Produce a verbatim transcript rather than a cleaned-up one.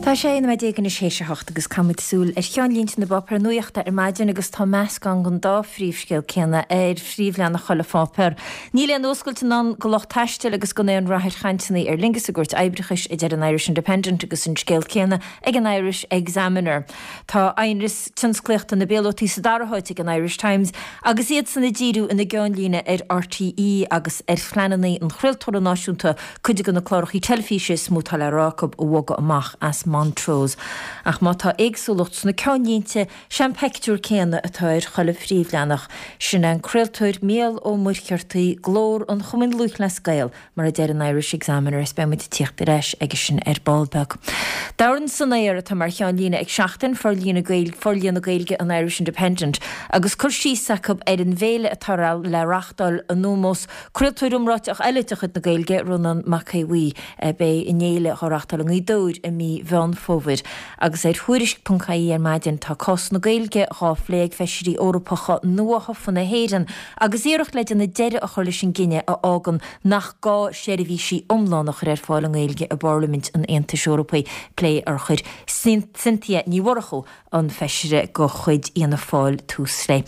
Tá sé nóiméad déag anois théis a hocht agus caithfimid súil ar cheannlínte na bpáipéar nuachta ar maidin agus tá meascán den dá phríomhscéal céanna ar phríomhleathanach chuile pháipéar. Níl aon oscailt i ndán do lucht taistil agus gan aon rath ar chainteanna Aer Lingus i gcúirt oibreachais a deir an Irish Independent agus an scéal céanna ag an Irish Examiner. Tá aonras tionsclaíochta na bpíolótaí sa dara háit ag an Irish Times agus iad san ag díriú ina gceannlíne ar RTÉ agus ar phleananna an chraoltóra náisiúnta cuid de na cláracha teilifíse is mó atá le rá acu a bhogadh amach as Montrose. Ach má tá éagsúlacht sna ceannlínte sé'n pictiúr céanna atá ar chuile phríomhleathanach, sin an craoltóir Mícheál Ó Muircheartaigh glór an Chumainn Lúthchleas Gael mar a deir an Irish Examiner is beimid ag tíocht ar ais aige sin ar ball beag. Dorn san aer atá mar cheannlíne ag Seachtain forlíonadh Gaeilge an Irish Independent agus cur síos acu ar an bhféile atá le reáchtáil in ómós craoltóir iomráiteach eile de chuid na Gaeilge Rónán Mac Aodha Bhuí beidh an fhéile á reáchtáil i nGaoth Dobhair i mí Mheán Fómhair agus ar Tuairisc.ie ar maidin tá cás na Gaeilge á phlé ag feisirí Eorpacha nuathofa na hÉireann agus iarracht le déanamh deireadh a chur leis an gcinneadh a fhágann nach gá seirbhísí iomlán a chur ar fáil i nGaeilge i bParlaimint an Aontais Eorpaigh plé ar chuir Cynthia Ní Mhurchú an feisire de chuid Fhianna Fáil tús léi.